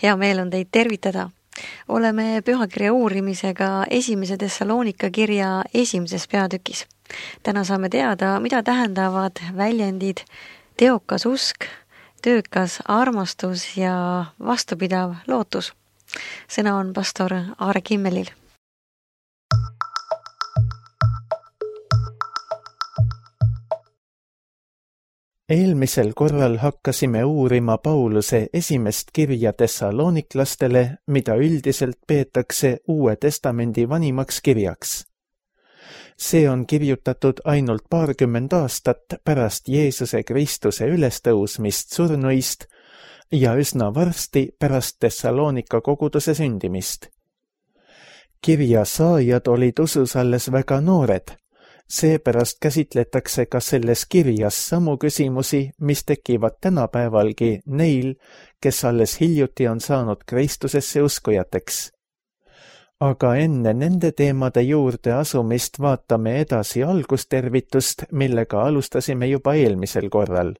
Hea meel on teid tervitada. Oleme pühakirja uurimisega esimese Thessalonika kirja esimeses peatükis. Täna saame teada, mida tähendavad väljendid teokas usk, töökas armastus ja vastupidav lootus. Sõna on pastor Aare Kimmelil. Eelmisel korral hakkasime uurima Pauluse esimest kirja Thessaloniklastele, mida üldiselt peetakse Uue Testamendi vanimaks kirjaks. See on kirjutatud ainult 20 aastat pärast Jeesuse Kristuse ülestõusmist surnuist ja üsna varsti pärast Thessalonika koguduse sündimist. Kirja saajad olid usus alles väga noored. Seepärast käsitletakse ka selles kirjas samu küsimusi, mis tekivad tänapäevalgi neil, kes alles hiljuti on saanud Kristusesse uskujateks. Aga enne nende teemade juurde asumist vaatame edasi algustervitust, millega alustasime juba eelmisel korral.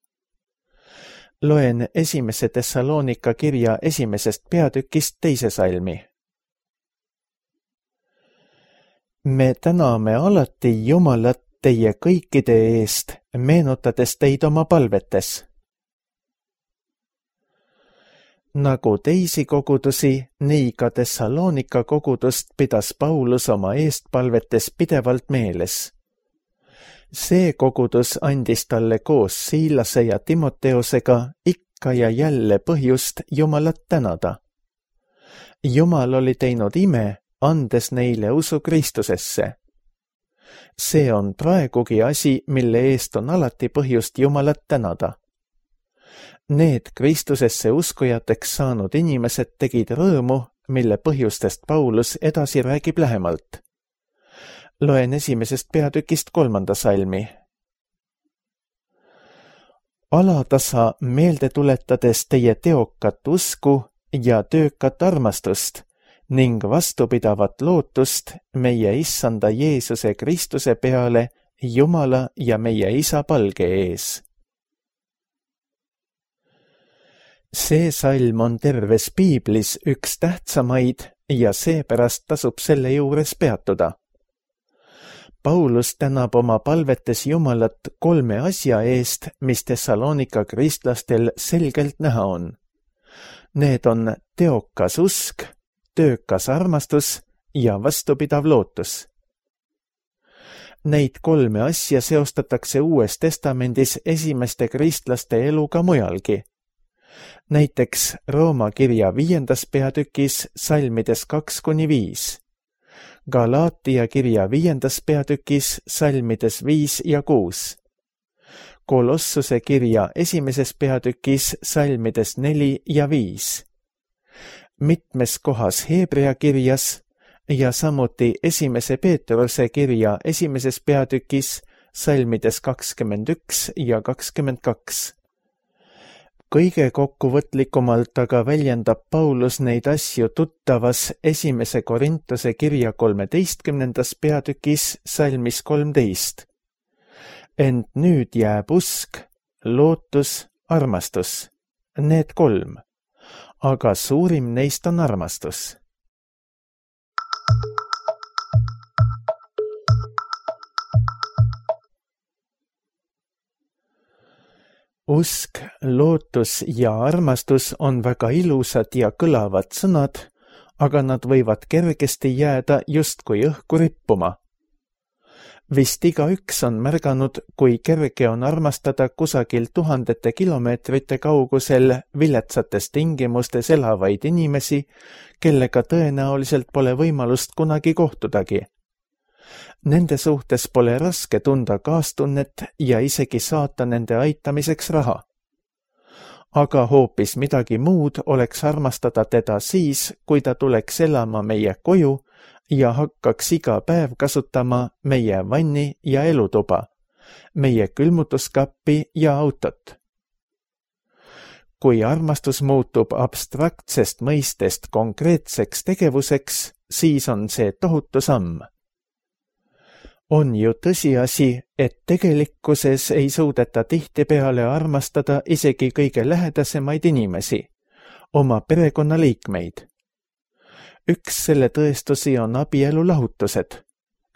Loen esimese Thessalonika kirja esimesest peatükist 2. salmi. Me täname alati Jumalat teie kõikide eest, meenutades teid oma palvetes. Nagu teisi kogudusi, nii ka Thessalonika kogudust pidas Paulus oma eestpalvetes pidevalt meeles. See kogudus andis talle koos Siilase ja Timoteosega ikka ja jälle põhjust Jumalat tänada. Jumal oli teinud ime, andes neile usu Kristusesse. See on praegugi asi, mille eest on alati põhjust Jumalat tänada. Need Kristusesse uskujateks saanud inimesed tegid rõõmu, mille põhjustest Paulus edasi räägib lähemalt. Loen esimesest peatükist 3. salmi. Alatasa meelde tuletades teie teokat usku ja töökat armastust ning vastupidavat lootust meie issanda Jeesuse Kristuse peale Jumala ja meie Isa palge ees. See salm on terves piiblis üks tähtsamaid ja seepärast tasub selle juures peatuda. Paulus tänab oma palvetes Jumalat 3 asja eest, mis Thessalonika kristlastel selgelt näha on. Need on teokas usk, töökas armastus ja vastupidav lootus. Neid 3 asja seostatakse Uues Testamendis esimeste kristlaste eluga mujalgi. Näiteks Rooma kirja 5. peatükis salmides 2-5, Galaatia kirja 5. peatükis salmides 5 ja 6, Kolossuse kirja 1. peatükis salmides 4 ja 5, mitmes kohas Heebrea kirjas ja samuti 1. Peetruse kirja 1. peatükis salmides 21 ja 22. Kõige kokkuvõtlikumalt aga väljendab Paulus neid asju tuttavas 1. Korintuse kirja 13. peatükis salmis 13. Ent nüüd jääb usk, lootus, armastus, need 3. Aga suurim neist on armastus. Usk, lootus ja armastus on väga ilusad ja kõlavad sõnad, aga nad võivad kergesti jääda justkui õhku rippuma. Vist igaüks on märganud, kui kerge on armastada kusagil 1000 kilomeetrite kaugusel viletsates tingimustes elavaid inimesi, kellega tõenäoliselt pole võimalust kunagi kohtudagi. Nende suhtes pole raske tunda kaastunnet ja isegi saata nende aitamiseks raha. Aga hoopis midagi muud oleks armastada teda siis, kui ta tuleks elama meie koju ja hakkaks iga päev kasutama meie vanni ja elutuba, meie külmutuskappi ja autot. Kui armastus muutub abstraktsest mõistest konkreetseks tegevuseks, siis on see tohutu samm. On ju tõsiasi, et tegelikkuses ei suudeta tihtipeale armastada isegi kõige lähedasemaid inimesi, oma perekonnaliikmeid. Üks selle tõestusi on abielu lahutused,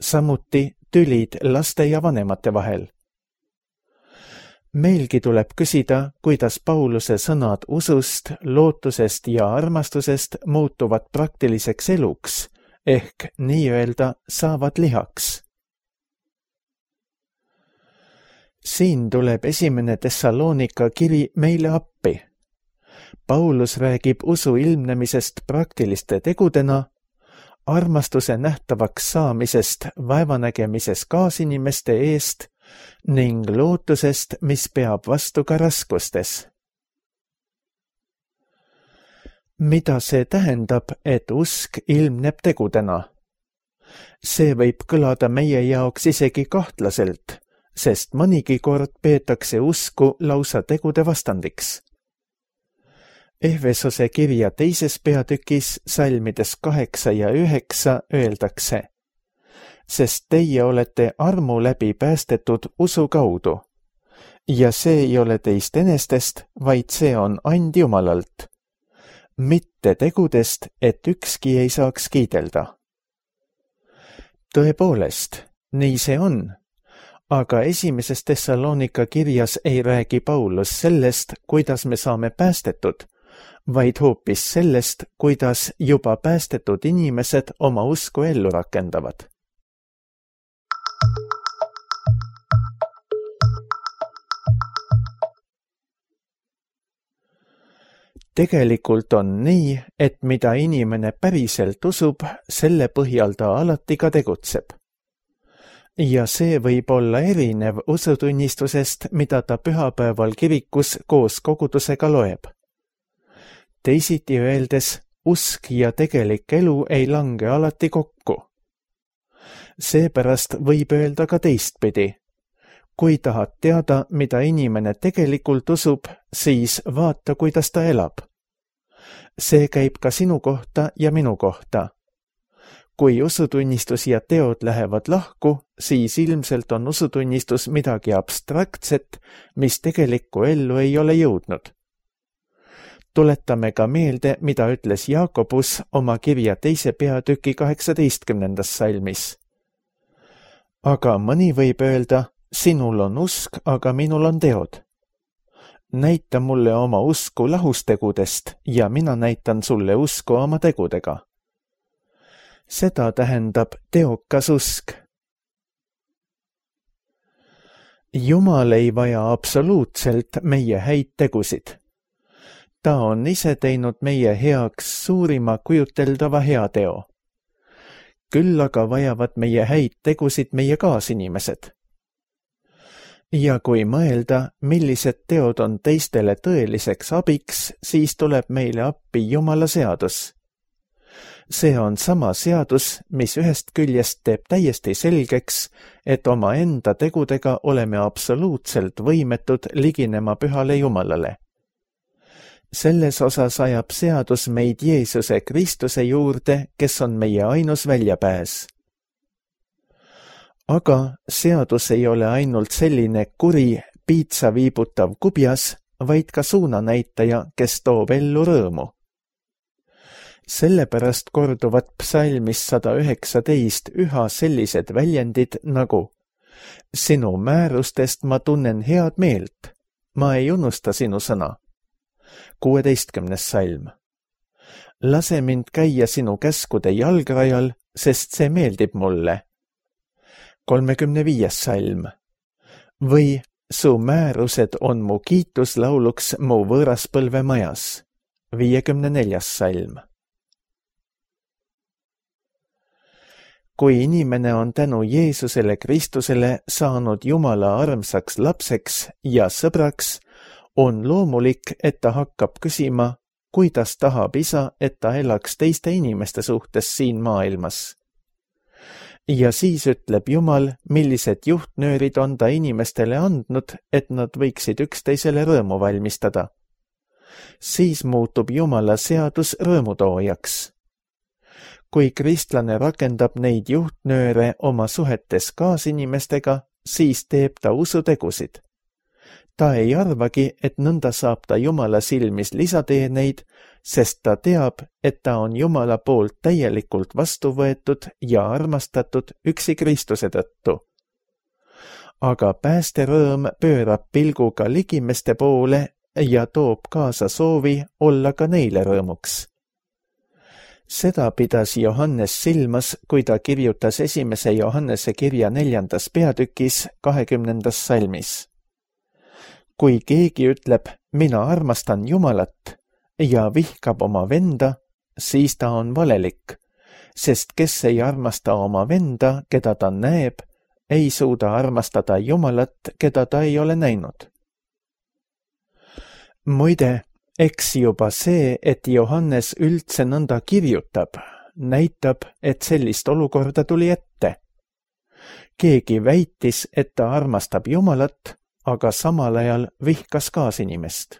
samuti tülid laste ja vanemate vahel. Meilgi tuleb küsida, kuidas Pauluse sõnad usust, lootusest ja armastusest muutuvad praktiliseks eluks, ehk nii-öelda saavad lihaks. Siin tuleb esimene Thessalonika kiri meile appi. Paulus räägib usu ilmnemisest praktiliste tegudena, armastuse nähtavaks saamisest vaevanägemises kaasinimeste eest ning lootusest, mis peab vastu ka raskustes. Mida see tähendab, et usk ilmneb tegudena? See võib kõlada meie jaoks isegi kahtlaselt, sest mõnigi kord peetakse usku lausa tegude vastandiks. Efesose kirja 2. peatükis salmides 8 ja 9 öeldakse: sest teie olete armu läbi päästetud usu kaudu. Ja see ei ole teist enestest, vaid see on and Jumalalt. Mitte tegudest, et ükski ei saaks kiidelda. Tõepoolest, nii see on. Aga esimeses Thessalonika kirjas ei räägi Paulus sellest, kuidas me saame päästetud, vaid hoopis sellest, kuidas juba päästetud inimesed oma usku ellu rakendavad. Tegelikult on nii, et mida inimene päriselt usub, selle põhjal ta alati ka tegutseb. Ja see võib olla erinev usutunnistusest, mida ta pühapäeval kirikus koos kogudusega loeb. Teisiti öeldes, usk ja tegelik elu ei lange alati kokku. Seepärast võib öelda ka teistpidi. Kui tahad teada, mida inimene tegelikult usub, siis vaata, kuidas ta elab. See käib ka sinu kohta ja minu kohta. Kui usutunnistus ja teod lähevad lahku, siis ilmselt on usutunnistus midagi abstraktset, mis tegelikku ellu ei ole jõudnud. Tuletame ka meelde, mida ütles Jaakobus oma kirja 2. peatüki 18. salmis. Aga mõni võib öelda: sinul on usk, aga minul on teod. Näita mulle oma usku lahustegudest ja mina näitan sulle usku oma tegudega. Seda tähendab teokas usk. Jumal ei vaja absoluutselt meie häid tegusid. Ta on ise teinud meie heaks suurima kujuteldava heateo. Küll aga vajavad meie häid tegusid meie kaasinimesed. Ja kui mõelda, millised teod on teistele tõeliseks abiks, siis tuleb meile appi Jumala seadus. See on sama seadus, mis ühest küljest teeb täiesti selgeks, et oma enda tegudega oleme absoluutselt võimetud liginema pühale Jumalale. Selles osas ajab seadus meid Jeesuse Kristuse juurde, kes on meie ainus väljapääs. Aga seadus ei ole ainult selline kuri, piitsa viibutav kubjas, vaid ka suunanäitaja, kes toob ellu rõõmu. Sellepärast korduvad psalmis 119 üha sellised väljendid nagu: sinu määrustest ma tunnen head meelt, ma ei unusta sinu sõna. 16. salm. Lase mind käia sinu käskude jalgrajal, sest see meeldib mulle. 35. salm. Või su määrused on mu kiituslauluks mu võõraspõlve majas. 54. salm. Kui inimene on tänu Jeesusele Kristusele saanud Jumala armsaks lapseks ja sõbraks, on loomulik, et ta hakkab küsima, kuidas tahab isa, et ta elaks teiste inimeste suhtes siin maailmas. Ja siis ütleb Jumal, millised juhtnöörid on ta inimestele andnud, et nad võiksid üksteisele rõõmu valmistada. Siis muutub Jumala seadus rõõmutoojaks. Kui kristlane rakendab neid juhtnööre oma suhetes kaasinimestega, siis teeb ta usutegusid. Ta ei arvagi, et nõnda saab ta Jumala silmis lisateeneid, sest ta teab, et ta on Jumala poolt täielikult vastu võetud ja armastatud üksi Kristuse tõttu. Aga päästerõõm pöörab pilgu ka ligimeste poole ja toob kaasa soovi olla ka neile rõõmuks. Seda pidas Johannes silmas, kui ta kirjutas 1. Johannese kirja 4. peatükis 20. salmis. Kui keegi ütleb, mina armastan Jumalat ja vihkab oma venda, siis ta on valelik, sest kes ei armasta oma venda, keda ta näeb, ei suuda armastada Jumalat, keda ta ei ole näinud. Muide, eks juba see, et Johannes üldse nõnda kirjutab, näitab, et sellist olukorda tuli ette. Keegi väitis, et ta armastab Jumalat, aga samal ajal vihkas kaasinimest.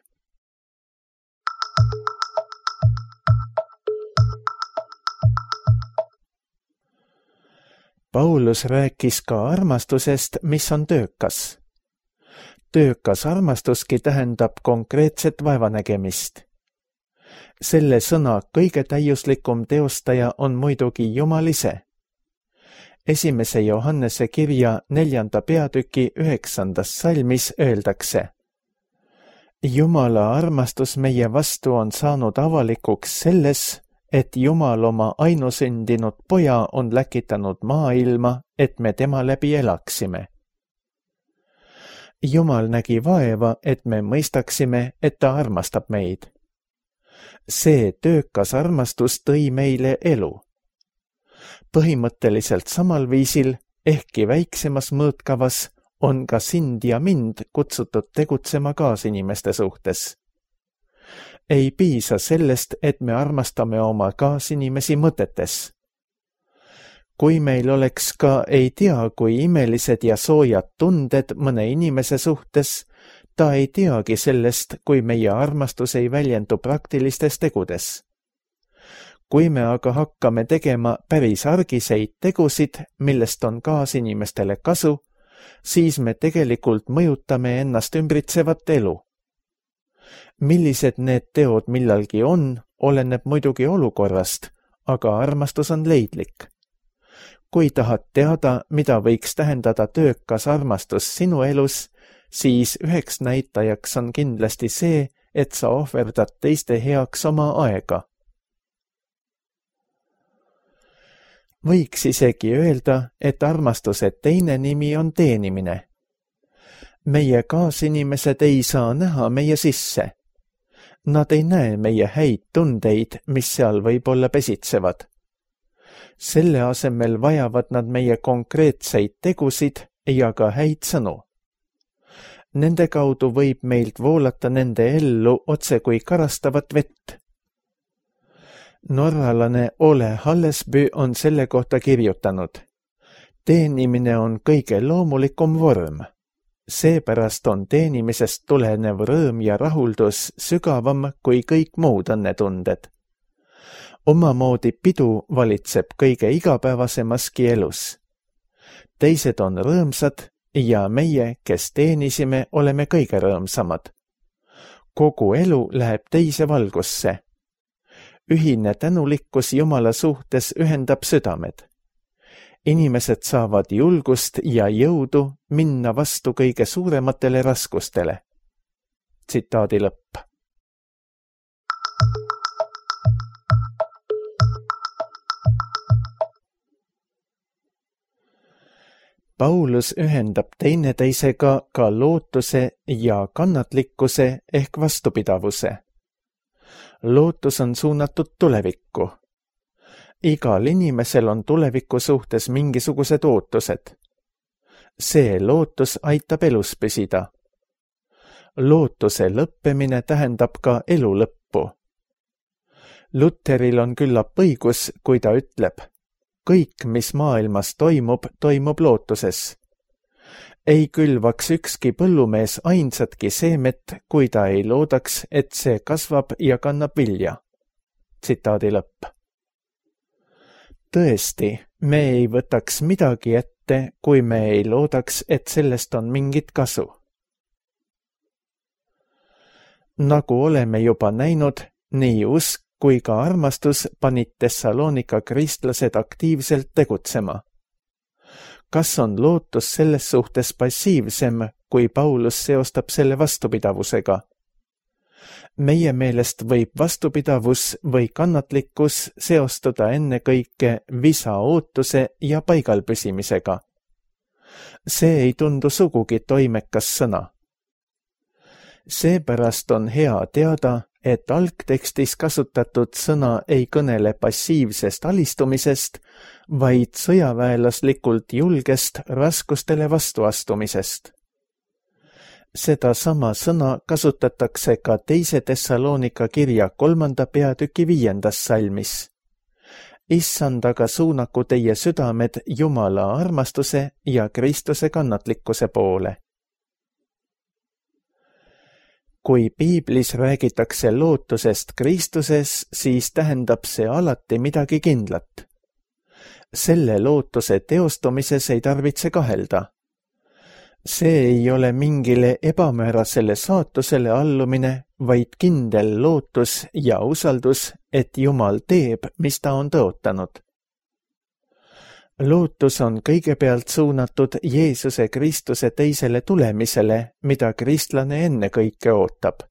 Paulus rääkis ka armastusest, mis on töökas. Töökas armastuski tähendab konkreetset vaevanägemist. Selle sõna kõige täiuslikum teostaja on muidugi Jumal ise. 1. Johannese kirja 4. peatüki 9. salmis öeldakse: Jumala armastus meie vastu on saanud avalikuks selles, et Jumal oma ainusündinud poja on läkitanud maailma, et me tema läbi elaksime. Jumal nägi vaeva, et me mõistaksime, et ta armastab meid. See töökas armastus tõi meile elu. Põhimõtteliselt samal viisil, ehkki väiksemas mõõtkavas, on ka sind ja mind kutsutud tegutsema kaasinimeste suhtes. Ei piisa sellest, et me armastame oma kaasinimesi mõtetes. Kui meil oleks ka ei tea, kui imelised ja soojad tunded mõne inimese suhtes, ta ei teagi sellest, kui meie armastus ei väljendu praktilistes tegudes. Kui me aga hakkame tegema päris argiseid tegusid, millest on kaasinimestele kasu, siis me tegelikult mõjutame ennast ümbritsevat elu. Millised need teod millalgi on, oleneb muidugi olukorrast, aga armastus on leidlik. Kui tahad teada, mida võiks tähendada töökas armastus sinu elus, siis üheks näitajaks on kindlasti see, et sa ohverdad teiste heaks oma aega. Võiks isegi öelda, et armastuse teine nimi on teenimine. Meie kaasinimesed ei saa näha meie sisse. Nad ei näe meie häid tundeid, mis seal võib-olla pesitsevad. Selle asemel vajavad nad meie konkreetseid tegusid ja ka häid sõnu. Nende kaudu võib meilt voolata nende ellu otse kui karastavat vett. Norralane Ole Hallesby on selle kohta kirjutanud: teenimine on kõige loomulikum vorm. Seepärast on teenimisest tulenev rõõm ja rahuldus sügavam kui kõik muud õnnetunded. Omamoodi pidu valitseb kõige igapäevasemaski elus. Teised on rõõmsad ja meie, kes teenisime, oleme kõige rõõmsamad. Kogu elu läheb teise valgusse. Ühine tänulikkus Jumala suhtes ühendab südamed. Inimesed saavad julgust ja jõudu minna vastu kõige suurematele raskustele. Tsitaadi lõpp. Paulus ühendab teineteisega ka lootuse ja kannatlikkuse ehk vastupidavuse. Lootus on suunatud tulevikku. Igal inimesel on tuleviku suhtes mingisugused ootused. See lootus aitab elus püsida. Lootuse lõppemine tähendab ka elu lõppu. Lutheril on küllap õigus, kui ta ütleb: kõik, mis maailmas toimub, toimub lootuses. Ei külvaks ükski põllumees ainsatki seemet, kui ta ei loodaks, et see kasvab ja kannab vilja. Tsitaadi lõpp. Tõesti, me ei võtaks midagi ette, kui me ei loodaks, et sellest on mingit kasu. Nagu oleme juba näinud, Nii usk kui ka armastus panid Thessalonika kristlased aktiivselt tegutsema. Kas on lootus selles suhtes passiivsem, kui Paulus seostab selle vastupidavusega? Meie meelest võib vastupidavus või kannatlikkus seostuda ennekõike visa ootuse ja paigalpüsimisega. See ei tundu sugugi toimekas sõna. Seepärast on hea teada, et algtekstis kasutatud sõna ei kõnele passiivsest alistumisest, vaid sõjaväelaslikult julgest raskustele vastuastumisest. Seda sama sõna kasutatakse ka teise Thessalonika kirja 3. peatüki 5. salmis. Issand aga suunaku teie südamed Jumala armastuse ja Kristuse kannatlikkuse poole. Kui piiblis räägitakse lootusest Kristuses, siis tähendab see alati midagi kindlat. Selle lootuse teostumises ei tarvitse kahelda. See ei ole mingile ebamäärasele saatusele allumine, vaid kindel lootus ja usaldus, et Jumal teeb, mis ta on tõotanud. Lootus on kõigepealt suunatud Jeesuse Kristuse teisele tulemisele, mida kristlane ennekõike ootab.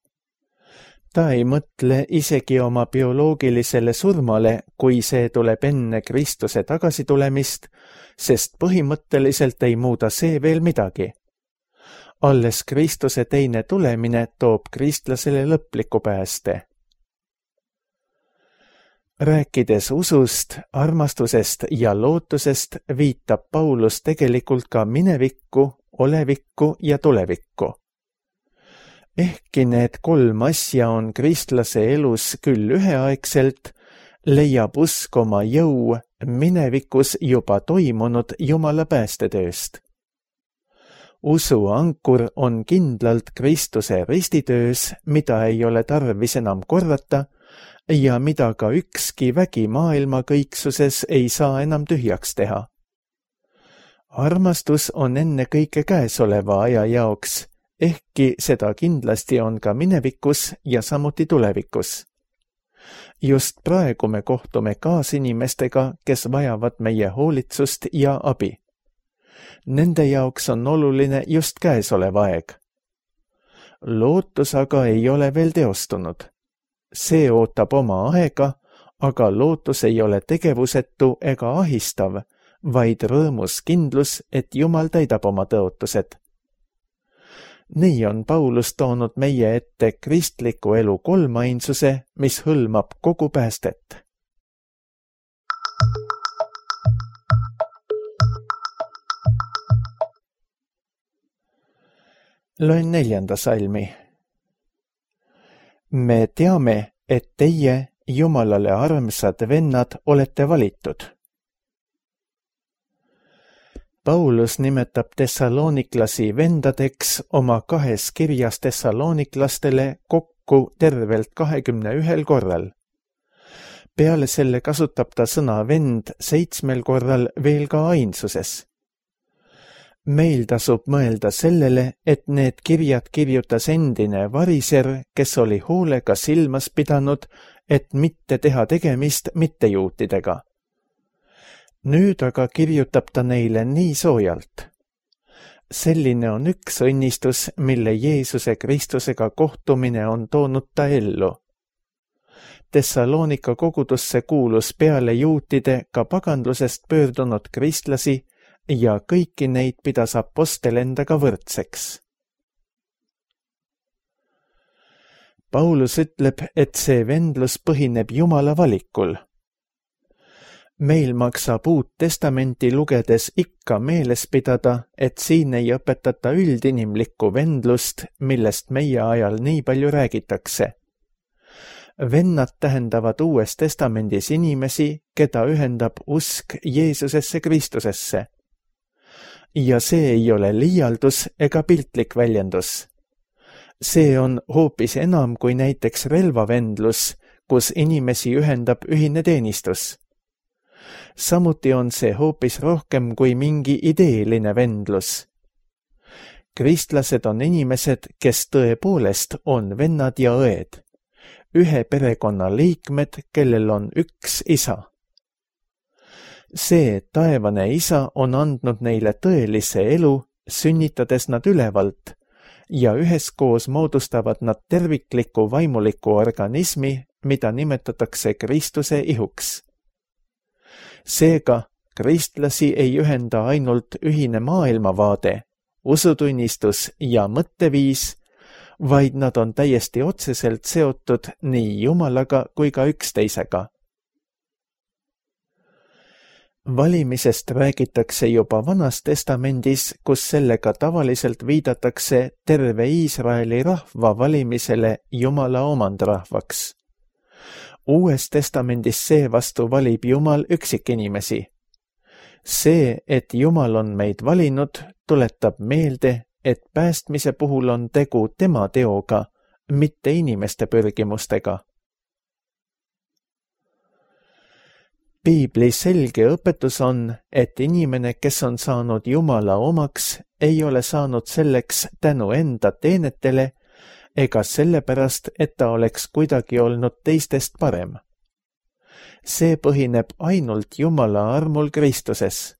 Ta ei mõtle isegi oma bioloogilisele surmale, kui see tuleb enne Kristuse tagasitulemist, sest põhimõtteliselt ei muuda see veel midagi. Alles Kristuse teine tulemine toob kristlasele lõpliku pääste. Rääkides usust, armastusest ja lootusest viitab Paulus tegelikult ka minevikku, olevikku ja tulevikku. Ehkki need 3 asja on kristlase elus küll üheaegselt, leiab usk oma jõu minevikus juba toimunud Jumala päästetööst. Usu ankur on kindlalt Kristuse ristitöös, mida ei ole tarvis enam korrata, ja mida ka ükski vägi maailma kõiksuses ei saa enam tühjaks teha. Armastus on ennekõike käesoleva aja jaoks, ehkki seda kindlasti on ka minevikus ja samuti tulevikus. Just praegu me kohtume kaasinimestega, kes vajavad meie hoolitsust ja abi. Nende jaoks on oluline just käesolev aeg. Lootus aga ei ole veel teostunud. See ootab oma aega, aga lootus ei ole tegevusetu ega ahistav, vaid rõõmus kindlus, et Jumal täidab oma tõotused. Nii on Paulus toonud meie ette kristliku elu 3 ainsuse, mis hõlmab kogu päästet. Loen 4. salmi. Me teame, et teie, Jumalale armsad vennad, olete valitud. Paulus nimetab thessaloniklasi vendadeks oma 2 kirjas thessaloniklastele kokku tervelt 21 korral. Peale selle kasutab ta sõna vend 7 korral veel ka ainsuses. Meil tasub mõelda sellele, et need kirjad kirjutas endine variser, kes oli hoolega silmas pidanud, et mitte teha tegemist mittejuutidega. Nüüd aga kirjutab ta neile nii soojalt. Selline on üks õnnistus, mille Jeesuse Kristusega kohtumine on toonud ta ellu. Thessalonika kogudusse kuulus peale juutide ka pagandlusest pöördunud kristlasi, ja kõiki neid pidas apostel endaga võrdseks. Paulus ütleb, et see vendlus põhineb Jumala valikul. Meil maksab Uut Testamenti lugedes ikka meeles pidada, et siin ei õpetata üldinimlikku vendlust, millest meie ajal nii palju räägitakse. Vennad tähendavad Uues Testamendis inimesi, keda ühendab usk Jeesusesse Kristusesse. Ja see ei ole liialdus ega piltlik väljendus. See on hoopis enam kui näiteks relvavendlus, kus inimesi ühendab ühine teenistus. Samuti on see hoopis rohkem kui mingi ideeline vendlus. Kristlased on inimesed, kes tõepoolest on vennad ja õed. ühe perekonna liikmed, kellel on üks isa. See taevane isa on andnud neile tõelise elu, sünnitades nad ülevalt, ja üheskoos moodustavad nad tervikliku vaimuliku organismi, mida nimetatakse Kristuse ihuks. Seega, kristlasi ei ühenda ainult ühine maailmavaade, usutunnistus ja mõtteviis, vaid nad on täiesti otseselt seotud nii Jumalaga kui ka üksteisega. Valimisest räägitakse juba Vanas Testamendis, kus sellega tavaliselt viidatakse terve Iisraeli rahva valimisele Jumala omandrahvaks. Uues Testamendis seevastu valib Jumal üksikinimesi. See, et Jumal on meid valinud, tuletab meelde, et päästmise puhul on tegu tema teoga, mitte inimeste pürgimustega. Piibli selge õpetus on, et inimene, kes on saanud Jumala omaks, ei ole saanud selleks tänu enda teenetele ega sellepärast, et ta oleks kuidagi olnud teistest parem. See põhineb ainult Jumala armul Kristuses.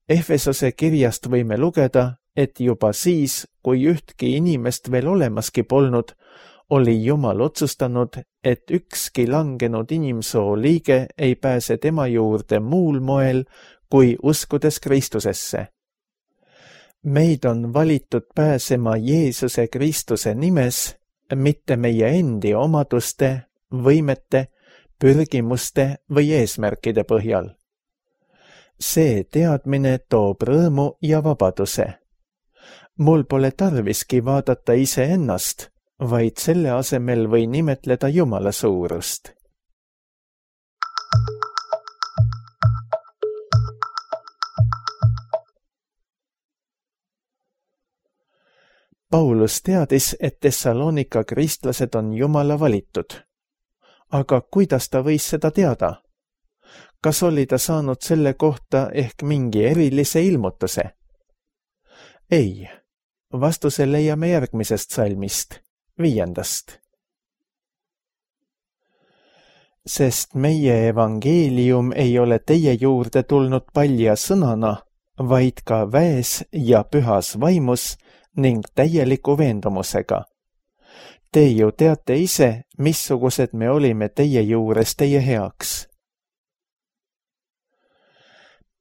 Efesose kirjast võime lugeda, et juba siis, kui ühtki inimest veel olemaski polnud, oli Jumal otsustanud, et ükski langenud inimsoo liige ei pääse tema juurde muul moel, kui uskudes Kristusesse. Meid on valitud pääsema Jeesuse Kristuse nimes, mitte meie endi omaduste, võimete, pürgimuste või eesmärkide põhjal. See teadmine toob rõõmu ja vabaduse. Mul pole tarviski vaadata iseennast, vaid selle asemel või nimetleda Jumala suurust. Paulus teadis, et Thessalonika kristlased on Jumala valitud. Aga kuidas ta võis seda teada? Kas oli ta saanud selle kohta ehk mingi erilise ilmutuse? Ei, vastuse leiame järgmisest salmist, 5. Sest meie evangeelium ei ole teie juurde tulnud palja sõnana, vaid ka väes ja pühas vaimus ning täieliku veendumusega. Te ju teate ise, missugused me olime teie juures teie heaks.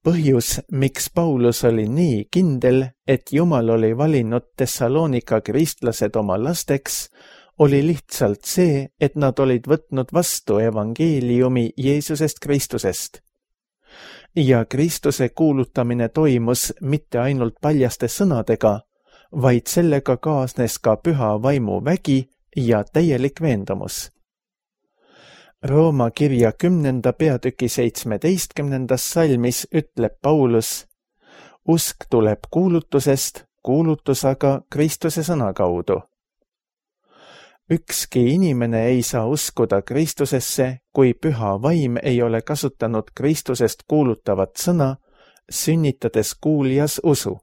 Põhjus, miks Paulus oli nii kindel, et Jumal oli valinud Thessalonika kristlased oma lasteks, oli lihtsalt see, et nad olid võtnud vastu evangeeliumi Jeesusest Kristusest. Ja Kristuse kuulutamine toimus mitte ainult paljaste sõnadega, vaid sellega kaasnes ka püha vaimu vägi ja täielik veendumus. Rooma kirja 10. peatüki 17. salmis ütleb Paulus, usk tuleb kuulutusest, kuulutus aga Kristuse sõna kaudu. Ükski inimene ei saa uskuda Kristusesse, kui püha vaim ei ole kasutanud Kristusest kuulutavat sõna, sünnitades kuuljas usu.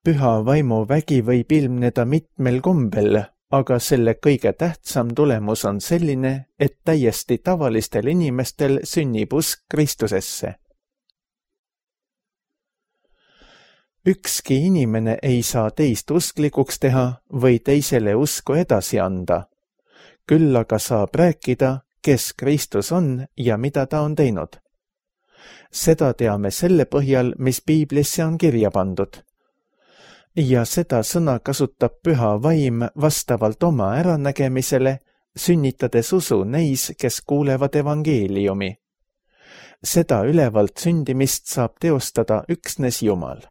Püha vaimu vägi võib ilmneda mitmel kombel, aga selle kõige tähtsam tulemus on selline, et täiesti tavalistel inimestel sünnib usk Kristusesse. Ükski inimene ei saa teist usklikuks teha või teisele usku edasi anda. Küll aga saab rääkida, kes Kristus on ja mida ta on teinud. Seda teame selle põhjal, mis Piiblisse on kirja pandud. Ja seda sõna kasutab püha vaim vastavalt oma äranägemisele, sünnitades usu neis, kes kuulevad evangeeliumi. Seda ülevalt sündimist saab teostada üksnes Jumal.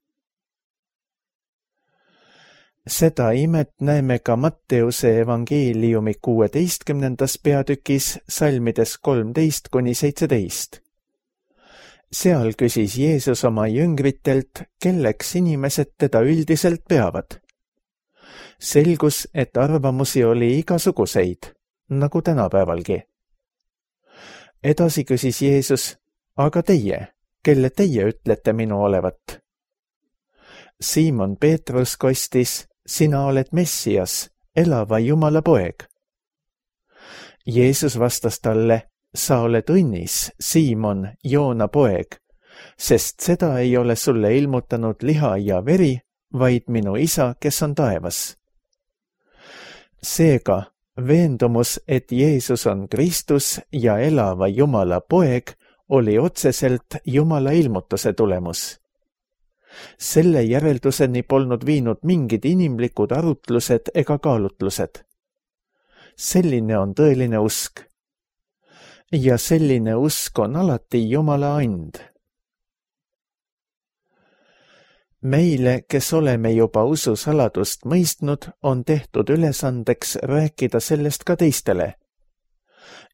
Seda imet näeme ka Matteuse evangeeliumi 16. peatükis salmides 13-17. Seal küsis Jeesus oma jüngritelt, kelleks inimesed teda üldiselt peavad. Selgus, et arvamusi oli igasuguseid, nagu tänapäevalgi. Edasi küsis Jeesus, aga teie, kelle teie ütlete minu olevat? Siimon Peetrus kostis, sina oled Messias, elava Jumala poeg. Jeesus vastas talle, sa oled õnnis, Siimon, Joona poeg, sest seda ei ole sulle ilmutanud liha ja veri, vaid minu isa, kes on taevas. Seega, veendumus, et Jeesus on Kristus ja elava Jumala poeg, oli otseselt Jumala ilmutuse tulemus. Selle järelduseni polnud viinud mingid inimlikud arutlused ega kaalutlused. Selline on tõeline usk. Ja selline usk on alati Jumala and. Meile, kes oleme juba ususaladust mõistnud, on tehtud ülesandeks rääkida sellest ka teistele.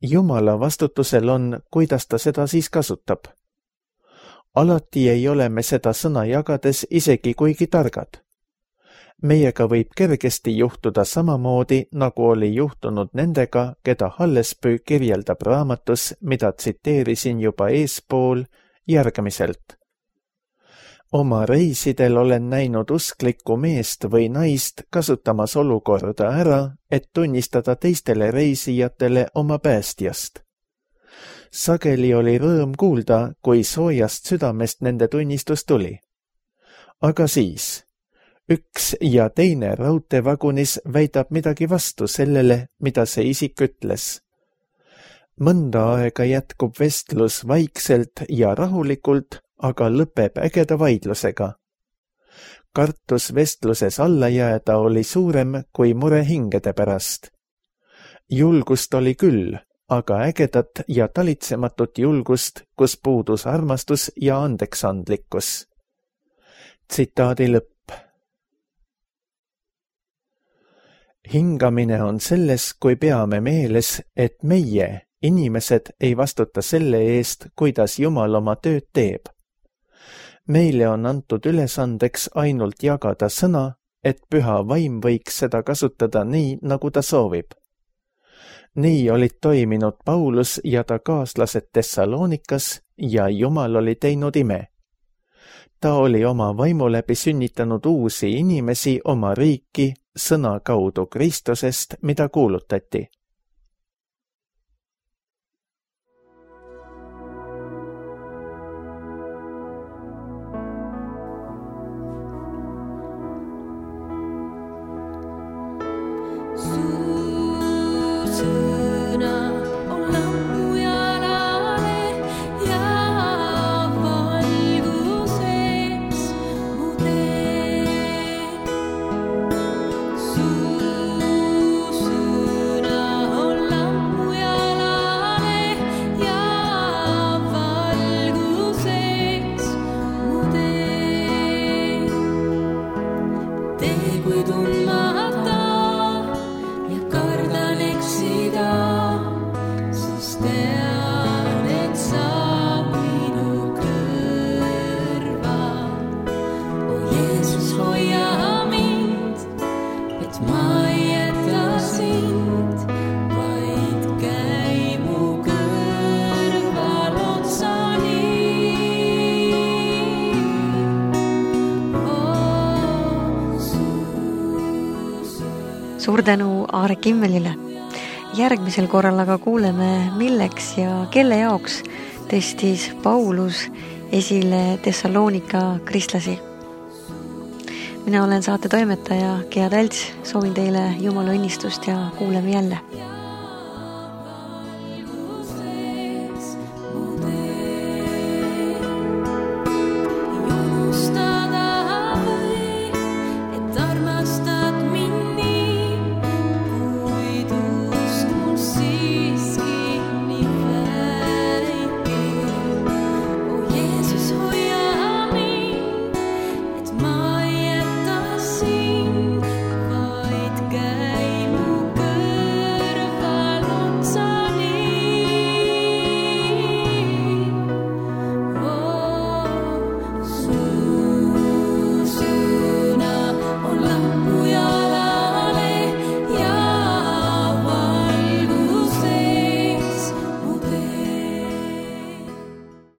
Jumala vastutusel on, kuidas ta seda siis kasutab. Alati ei ole me seda sõna jagades isegi kuigi targad. Meiega võib kergesti juhtuda samamoodi, nagu oli juhtunud nendega, keda Hallespuu kirjeldab raamatus, mida tsiteerisin juba eespool, järgmiselt. Oma reisidel olen näinud usklikku meest või naist kasutamas olukorda ära, et tunnistada teistele reisijatele oma päästjast. Sageli oli rõõm kuulda, kui soojast südamest nende tunnistus tuli. Aga siis, üks ja teine raudteevagunis väidab midagi vastu sellele, mida see isik ütles. Mõnda aega jätkub vestlus vaikselt ja rahulikult, aga lõpeb ägeda vaidlusega. Kartus vestluses alla jääda oli suurem kui mure hingede pärast. Julgust oli küll, aga ägedat ja talitsematut julgust, kus puudus armastus ja andeksandlikkus. Tsitaadi lõpp. Hingamine on selles, kui peame meeles, et meie, inimesed, ei vastuta selle eest, kuidas Jumal oma tööd teeb. Meile on antud ülesandeks ainult jagada sõna, et püha vaim võiks seda kasutada nii, nagu ta soovib. Nii olid toiminud Paulus ja ta kaaslased Thessalonikas ja Jumal oli teinud ime. Ta oli oma vaimu läbi sünnitanud uusi inimesi oma riiki sõna kaudu Kristusest, mida kuulutati. Suur tänu Aare Kimmelile. Järgmisel korral aga kuuleme, milleks ja kelle jaoks tõstis Paulus esile Thessalonika kristlasi. Mina olen saate toimetaja Gea Talts, soovin teile Jumala õnnistust ja kuuleme jälle.